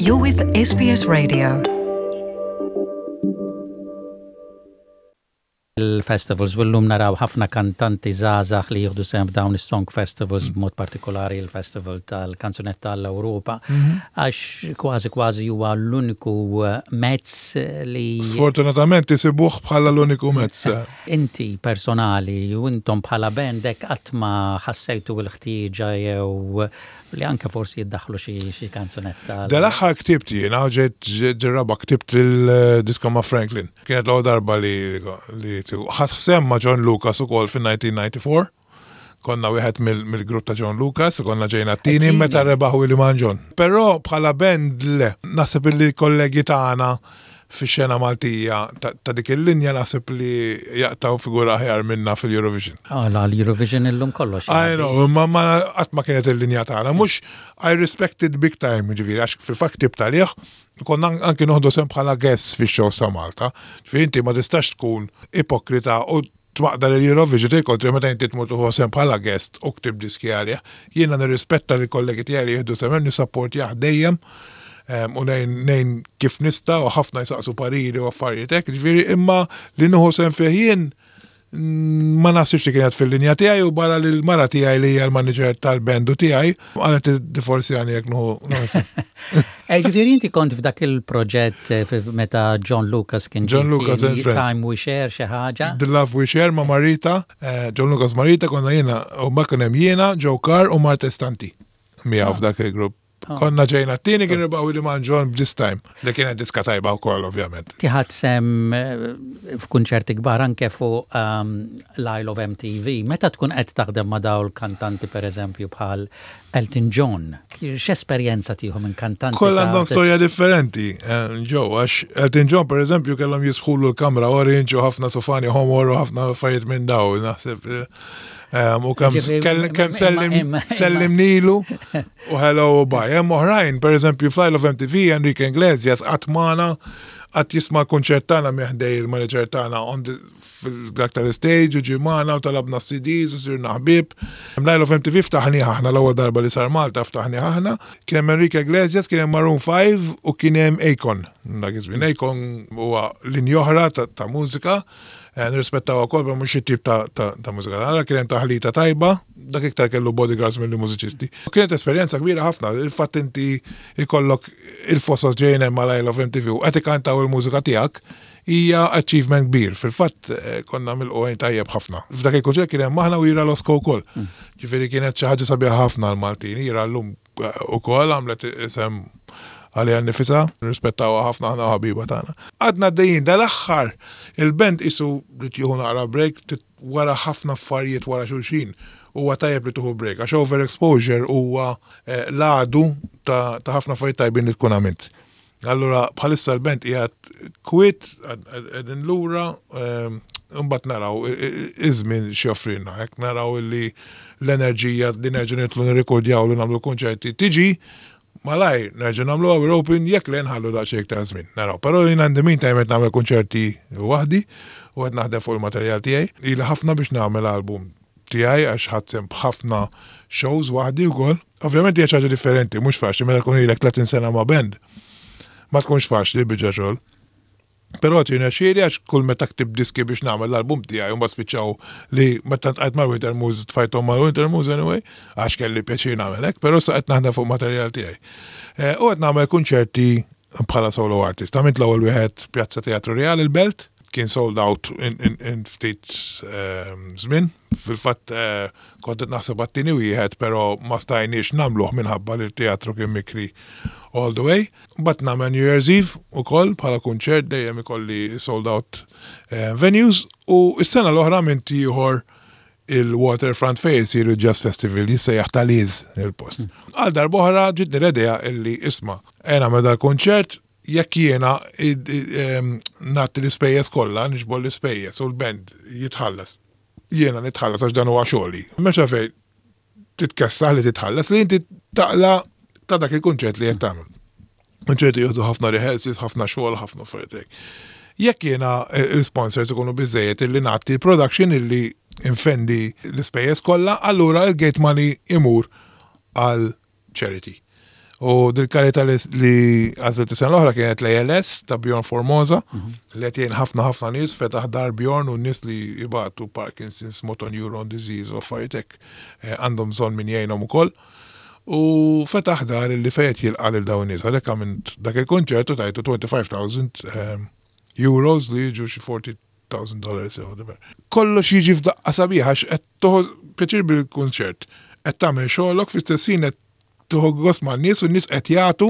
You're with SBS Radio. Il-festivals u llum naraw ħafna kantanti żgħażagħ li jieħdu sehem f'dawn is-song festivals b'mod partikolari l-Festival tal-Kanzunetta għall-Ewropa għax kważi kważi huwa l-uniku mezz li Sfortunatament isibuh bħala l-uniku mezz. Inti personali u intom bħala band hekk qatt ma ħassejtu l-ħtieġa jew li anke forsi jiddaħħlu xi kanzunetta. Dal-aħħar ktibt jiena, ġejt ġirraba ktibt il-diska ma' Franklin. Kienet l-ewwel darba li li ħadt sehem ma' John Lucas ukoll fin-1994. Konna wieħed mill-grupp ta' John Lucas, konna ġejna t-tieni meta rebaħ Willy Mangion. Però bħala band le, naħseb illi l-kollegi tagħna fix-xena Maltija ta' dik il-linja naħseb li jaqtgħu figura aħjar minna fil-Eurovision. Għala l-Eurovision illum kollox. I know, imma ma qatt ma kienet il-linja tagħna. Mhux I respect it big time, ġifieri, għax fil-fatt ktibt għalih, konna anki noħdu sehem bħala guests fix-shows ta' Malta. Ġifieri inti ma tistax tkun ipokrita u tmaqdar il-Eurovision tgħid kontri meta inti tmur tieħu sehem bħala guest u ktibt diski għalih. Jiena nirrispetta lill-kollegi tiegħi li jieħdu sehem hemm, nissapportjah dejjem u ngħin kif nista' u ħafna jsaqsu pariri u affarijiet hekk, ġifieri imma li nieħu sehem fih jien ma naħsibx li kienet fil-linja tiegħi u barra li l-mara tiegħi li hija l-manager tal-band u tiegħi qalet tiddivorzjani jekk nieħu sehem. Eh, ġifieri inti kont f'dak il-proġett eh, meta John Lucas kien John Lucas and Friends. Time We Share xi ħaġa. The Love We Share ma' Marita, eh, John Lucas Marita konna jiena u ma kien hemm jiena, Joe Carr u Marta Stanti miegħu ah. f'dak il-grupp. Ah. Konna ġejna t-tieni kien rebaħu li man John this time. Li kienet diska tajba wkoll ovvjament. Tiħat sem f'kunċerti kbar anke fuq ehm, l-Isle of MTV. Meta tkun qed taħdem ma' dawl kantanti pereżempju bħal Elton John, x'esperjenza tieħu minn kantanti? Kollha għandhom storja differenti, eh, ġew, għax Elton John pereżempju kellhom jisħulu l-kamra orange u ħafna sofani ħomor u ħafna affarijiet minn daw, naħseb. Eh, u kemm kemm sellim nilu u hello u bye. Hemm oħrajn, pereżempju fl of MTV Enrique Iglesias qatt magħna qatt jisma' l-kunċert tagħna minn ħdej il-manager tagħna fil-dak tal-stage u ġie magħna u talabna CDs u sirna ħbieb. L-Isle of MTV ftaħnieh aħna l-ewwel darba li sar Malta ftaħnieh aħna. Kien hemm Enrique Iglesias, kien hemm Maroon 5 u kien hemm Akon. Dak iż-żmien Akon huwa linja oħra ta' mużika. Eh, nirrispettaw ukoll ma mhux it-tip ta' mużika tagħna, kien hemm taħlita tajba, dak iktar kellu bodyguards milli mużiċisti. Kienet esperjenza kbira ħafna, il-fatt inti ikollok il-fosos ġejjin hemm mal-Isle of MTV u qed ikantaw il-mużika tiegħek, Hija achievement kbir. Fil-fatt eh, konna milqugħin tajjeb ħafna. F'dak il-kunċert kien hemm aħna u Ira Losco wkoll. Mm. Ġifieri kienet xi ħaġa sabiħa ħafna l-Maltin. Ira llum eh, ukoll għamlet isem għaliha nifisha, nirrispettawha ħafna aħna ħabiba tagħna. Għadna għaddejjin dal-aħħar il-band isu li tieħu naqra break wara ħafna affarijiet wara xulxin huwa tajjeb li tieħu break għax overexposure huwa eh, l-għadu ta' ħafna affarijiet tajbin li tkun għamilt. Allura bħalissa l-band qiegħed kwiet, qegħdin lura, ehm, imbagħad naraw iż-żmien x'joffrilna, hekk naraw illi l-enerġija li nerġgħu nidħlu nirrikordjaw li nagħmlu kunċerti tiġi, malajr nerġgħu nagħmlu we're open jekk le nħallu daqsxejn iktar żmien. Naraw. Però jien għandi min time qed nagħmel kunċerti waħdi u qed naħdem fuq il-materjal tiegħi. Ili ħafna biex nagħmel album tiegħi għax ħadt sehem b'ħafna shows waħdi wkoll. Ovvjament hija xi ħaġa differenti, mhux faċli meta tkun ilek 30 sena ma' band. Ma tkunx faċli biġa xogħol. Però tirnexxieli għax kull meta ktib diski biex nagħmel l-album tiegħi u mbagħad spiċċaw li meta ntqajt mal-Winter Moods tfajthom mal-Winter Moods anyway, għax kelli pjaċir nagħmel hekk, però sa qed naħdem fuq materjal tiegħi. Eh, u qed nagħmel kunċerti bħala solo artist. Għamilt l-ewwel wieħed Pjazza Teatru Real il-Belt, kien sold out in ftit ehm, żmien. Fil-fatt eh, kont qed naħseb għat-tieni wieħed, però ma stajniex nagħmluh minħabba li t-teatru kien mikri all the way. Mbagħad nagħmel New Year's Eve ukoll bħala kunċert dejjem ikolli sold out eh, venues u s-sena l-oħra minn ieħor il-waterfront fejn isir il-Jazz Festival jissejjaħ tal-Iz il-post. Hmm. Għal darbohra ġitni l-idea illi isma' għena meda l-konċert Jekk jiena nagħti l-ispejjeż kollha, niġbor l-ispejjeż u l-band jitħallas, jiena nitħallas għax dan huwa xogħli. M'hemmx għalfejn titkessaħ li titħallas li inti taqla' ta' dak il-kunċert li qed tagħmel. Kunċerti jieħdu ħafna rehearsals, ħafna xogħol, ħafna affarijiet hekk. Jekk jiena l-sponsors ikunu biżejjed illi nagħti production illi nfendi l-ispejjeż kollha, allura l-gate money imur għal charity. U dil-karità li għażilt is-sena l-oħra kienet l-ALS ta' Bjorn Formosa li qed jgħin ħafna ħafna nies fetaħ dar Bjorn u nies li jibatu Parkinson's, motor neuron disease u affarijiet hekk eh, għandhom bżonn min jgħinhom ukoll. U fetaħ dar li fejn qed jilqa' lil dawn nies. Għalhekk għamilt dak il-kunċert u tajtu 25,000 eh, euros li jiġu xi 40,000 dollars jew whatever. Kollox jiġi f'daqqa sabiħa għax qed toħu pjaċir bil-kunċert. Qed tagħmel xogħolok fl-istess ħin qed tieħu gost man-nies u n-nies qed jagħtu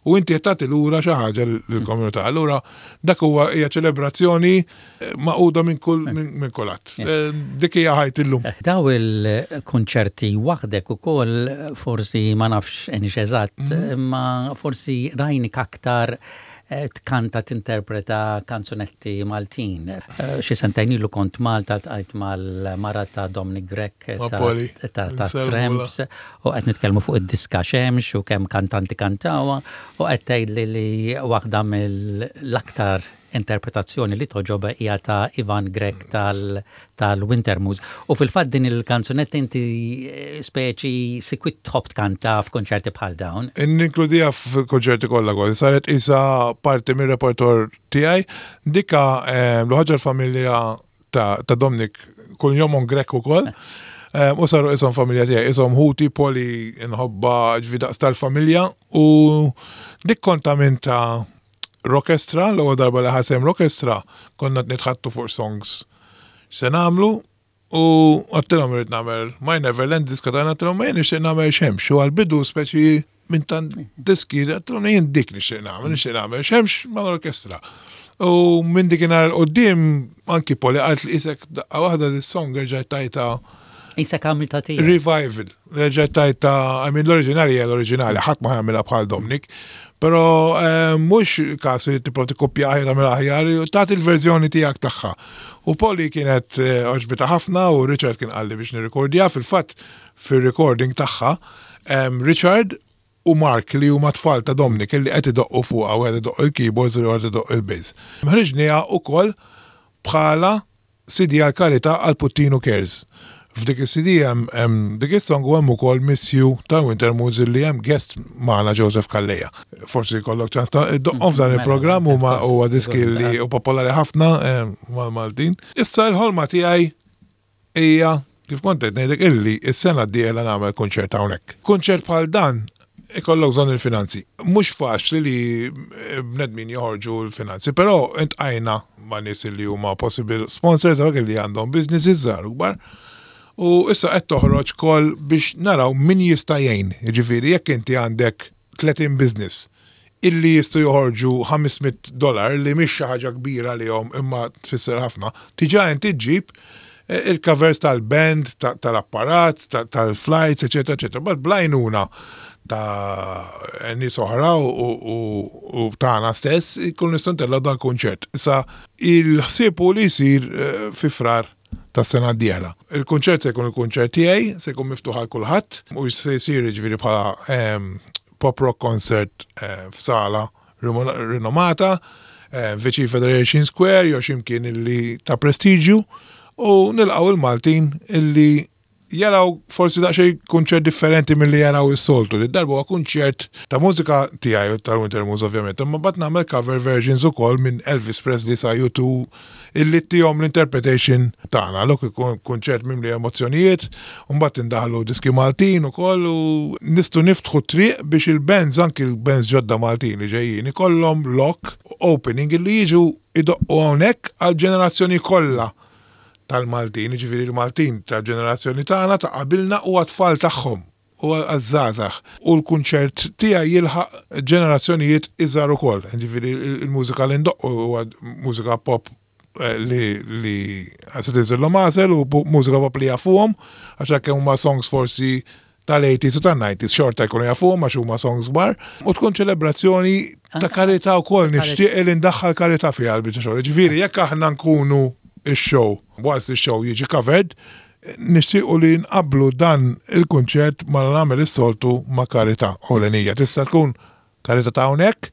u inti qed tagħti lura xi ħaġa lill-komunità. Allura dak huwa hija ċelebrazzjoni eh, maquda minn kull minn kulħadd. Eh, dik hija ħajti llum. Eh, daw il-kunċerti waħdek ukoll forsi ma nafx enix eżatt, mhm. ma forsi rajnik aktar tkanta tinterpreta kanzunetti Maltin. Xi sentejn ilu kont Malta ltqajt mal-mara ta' Dominic Grech ta' Tramps u qed nitkellmu fuq id-diska Xemx u kemm kantanti kantawha u qed tgħidli li waħda mill-aktar interpretazzjoni li togħġobha hija ta' Ivan Grech tal-Wintermoods. U fil-fatt din il-kanzunetta inti speċi sikwit tħobb tkanta f'kunċerti bħal dawn. Ninkludiha fil-kunċerti kollha kważi, saret qisha parti mir-repertor tiegħi. Dika l-ħaġa l-familja ta' Dominic kunjomhom Grech ukoll. U saru qishom familja tiegħi, qishom ħuti, Poli nħobbha ġifieri daqs tal-familja u dik kont għamiltha Rockestra, l-ewwel darba li ħadt sehem Rockestra, konna qed nitħaddtu fuq songs x'se nagħmlu u għedtilhom irrid nagħmel My Neverland diska tagħna għedtilhom ma jien nixtieq nagħmel xemx u għall-bidu speċi minn tant diski għedtilhom jien dik nixtieq nagħmel, nixtieq nagħmel xemx mal-orkestra. U minn dikinhar 'l quddiem anki Poli qalt li isek daqqa waħda dis-song erġajt tajtha Isek għamiltha tiegħek. Revival. Reġgħet tajtha, I mean l-oriġinali hija l-oriġinali, ħadd ma jagħmilha bħal Dominic. Però eh, mhux każ li tipprova tikkoppja aħjar tagħmel aħjar, tagħti l-verżjoni tiegħek tagħha. U Polly kienet eh, għoġbitha ħafna u Richard kien qalli biex nirrikordja fil-fatt fir-recording tagħha Richard u Mark li huma tfal ta' Dominic li qed idoqqu fuqha wieħed idoqq il-keyboards u ieħor idoqq il-bass. Ħriġniha ukoll bħala CD għall-karità għal Puttinu Cares. F'dik is-CD hemm hemm dik is-song u hemm ukoll Miss You ta' Winter Moods illi hemm guest magħna Joseph Calleja. Forsi jkollok ċans ta' iddoqqhom f'dan il-programm huma huwa diski li hu popolari ħafna mal-Maltin. Issa l-ħolma tiegħi hija kif kont qed ngħidlek illi s-sena d-dieħla nagħmel kunċert hawnhekk. Kunċert bħal dan ikollok bżonn il-finanzi. Mhux faċli li bnedmin joħorġu l-finanzi, però intqajna ma' nies li huma possible sponsors hawnhekk li għandhom businesses żgħar u kbar. U issa qed toħroġ call biex naraw min jista' jgħin. Jiġifieri jekk inti għandek 30 business illi jistgħu joħorġu 500 dollar li mhix xi ħaġa kbira għalihom imma tfisser ħafna, diġà inti ġġib il-covers tal-band, tal-apparat, tal-flights, eċetera, eċetera. But bl-għajnuna ta' nies oħra u tagħna stess ikun nistgħu ntellgħu dan kunċert. Issa il-ħsieb hu li jsir eh, fi frar tas-sena d-dieħla. Il-kunċert se jkun il-kunċert tiegħi, se jkun miftuħ għal kulħadd u se jsir jiġifieri bħala ehm, pop rock concert eh, f'sala rinomata, eh, viċin Federation Square jew x'imkien illi ta' prestiġju u nilqgħu il-Maltin illi jaraw forsi daqsxejn kunċert differenti milli jaraw is-soltu. Li darba huwa kunċert ta' mużika tiegħi u tal-Winter Moods ovvjament, imma mbagħad nagħmel cover versions ukoll minn Elvis Presley sa U2 illi ttihom l-interpretation tagħna. Allura ikun kunċert mimli emozzjonijiet, u mbagħad indaħlu diski Maltin ukoll u nistgħu niftħu triq biex il-bands anki l-bands ġodda Maltin li ġejjin ikollhom lok opening illi jiġu idoqqu hawnhekk għall-ġenerazzjoni kollha tal-Maltin, jiġifieri l-Maltin tal-ġenerazzjoni tagħna ta' qabilna u għat-tfal tagħhom u għaż-żgħażagħ. U l-kunċert tiegħi jilħaq ġenerazzjonijiet iżgħar ukoll. Jiġifieri l-mużika li ndoqqu huwa mużika pop eh, li li se tinżillhom għasel u mużika pop li jafuhom għax hekk huma songs forsi tal-80s u tan-90s xorta jkunu jafuhom għax huma songs kbar u tkun ċelebrazzjoni ta' karità wkoll nixtieq li ndaħħal karità fiha l-biċċa xogħol. Ġifieri jekk aħna nkunu x-show, whilst ix-show jiġi covered, nixtiequ li nqabblu dan il-kunċert ma nagħmel is-soltu ma' karità ewlenija. Tista' tkun karità ta' hawnhekk.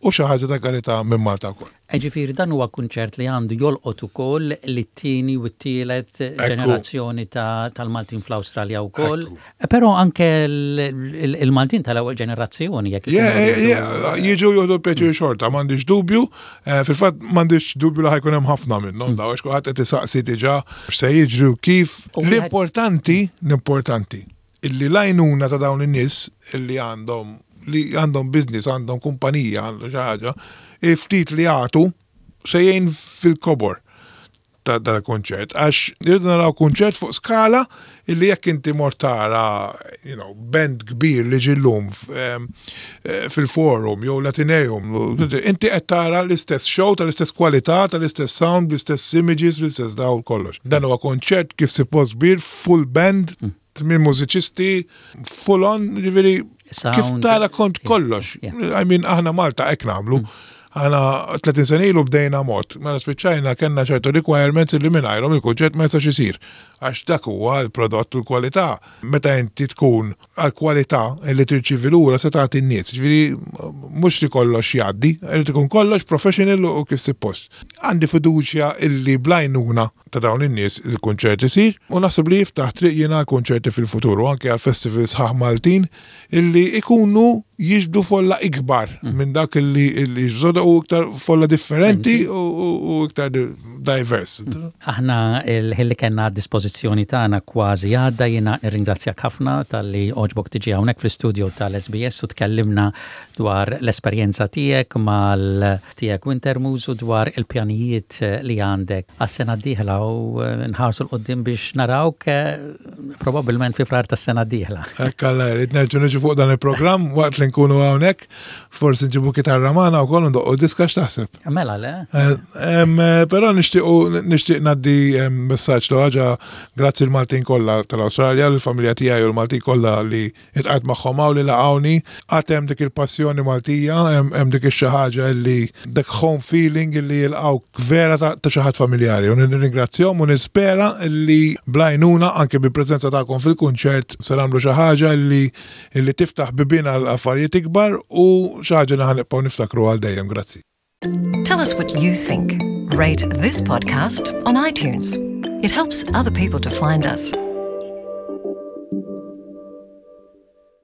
u xi ħaġa ta' karità minn Malta wkoll. Ġifieri dan huwa kunċert li għandu jolqot ukoll lit-tieni u t-tielet ġenerazzjoni tal-Maltin fl-Awstralja wkoll. Però anke l-Maltin tal-ewwel ġenerazzjoni jekk jiġu jieħdu pjaċir xorta, m'għandix dubju. Eh, fil-fatt m'għandix dubju li ħajkun hemm ħafna minnhom daw għax kulħadd qed isaqsi diġà x'se jiġri u kif. L-importanti, l-importanti illi l-għajnuna ta' dawn in-nies illi għandhom li għandhom business, għandhom kumpanija, għandhom xi ħaġa, ftit li jagħtu se jgħin fil-kobor ta' dal-kunċert. Għax irridu naraw kunċert fuq skala illi jekk inti mort tara, you know, band kbir li ġillum eh, fil-forum jew l-Ateneum, inti qed tara l-istess show tal-istess kwalità, tal-istess sound, bl-istess images, bl-istess dawl kollox. Dan huwa konċert kif suppost kbir, full band, tmien mużiċisti, full on, ġifieri kif tara kont kollox. I mean, aħna Malta hekk nagħmlu. Mm. Aħna 30 sena ilu bdejna mod, mela spiċċajna kellna ċertu requirements li mingħajrhom il-kunċett ma jistax isir. Għax dak huwa l-prodott u l-kwalità. Meta inti tkun għall-kwalità li tirċievi lura se tagħti n-nies. Ġifieri mhux li kollox jgħaddi, irid ikun kollox professional u kif suppost. Għandi fiduċja illi bl-għajnuna ta' dawn in-nies il-kunċert isir u naħseb li jiftaħ triq jiena għal kunċerti fil-futur u anke għal festivals sħaħ Maltin illi ikunu jiġbdu folla ikbar mm. minn dak illi jiġbdu u iktar folla differenti u iktar diverse. Mm. Aħna il-ħin li kellna għad-dispożizzjoni tagħna kważi għadda jiena nirringrazzjak ħafna talli għoġbok tiġi hawnhekk fl-istudio tal-SBS u tkellimna dwar l-esperjenza tiegħek mal tiegħek Wintermuse u dwar il-pjanijiet li għandek għas-sena d-dieħla u nħarsu 'l quddiem biex narawk probabbilment fi Frar tas-sena d-dieħla. Hekk Alla jrid, nerġgħu niġu fuq dan il-programm waqt li nkunu hawnhekk, forsi nġibu kitarra magħna wkoll u ndoqqu diska x'taħseb? Mela le. Però nixtiequ nixtieq ngħaddi messaġġ l ħaġa grazzi l-Maltin kollha tal-Awstralja, l-familja tiegħi u l-Maltin kollha li Iltqajt magħhom hawn li laqgħuni. Għad hemm dik il-passjoni Maltija, hemm dik ix-xi ħaġa illi dak home feeling illi jilqgħuk vera ta' xi ħadd familjari. U nirringrazzjahom u nispera illi bl-għajnuna anke bil-preżenza tagħkom fil-kunċert se nagħmlu xi ħaġa illi illi tiftaħ bibien għal affarijiet ikbar u xi ħaġa li ħa nibqgħu niftakru għal dejjem. Grazzi. Tell us what you think. Rate this podcast on iTunes. It helps other people to find us.